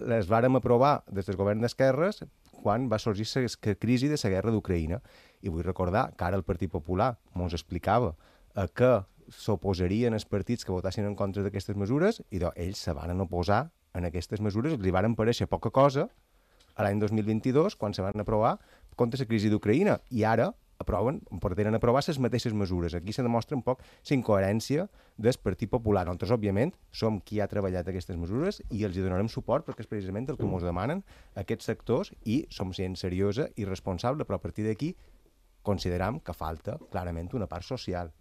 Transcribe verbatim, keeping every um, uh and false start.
les vàrem aprovar des del govern d'esquerres quan va sorgir la crisi de la guerra d'Ucraïna. I vull recordar que ara el Partit Popular ens explicava a què s'oposarien els partits que votassin en contra d'aquestes mesures i doncs, ells se van oposar en aquestes mesures, els hi varen parèixer poca cosa a l'any dos mil vint-i-dos, quan se van aprovar contra la crisi d'Ucraïna. I ara aproven, pretenen aprovar les mateixes mesures. Aquí se demostra un poc la incoherència del Partit Popular. Nosaltres, òbviament, som qui ha treballat aquestes mesures i els hi donarem suport perquè és precisament el que ens demanen aquests sectors i som gent seriosa i responsable, però a partir d'aquí consideram que falta clarament una part social.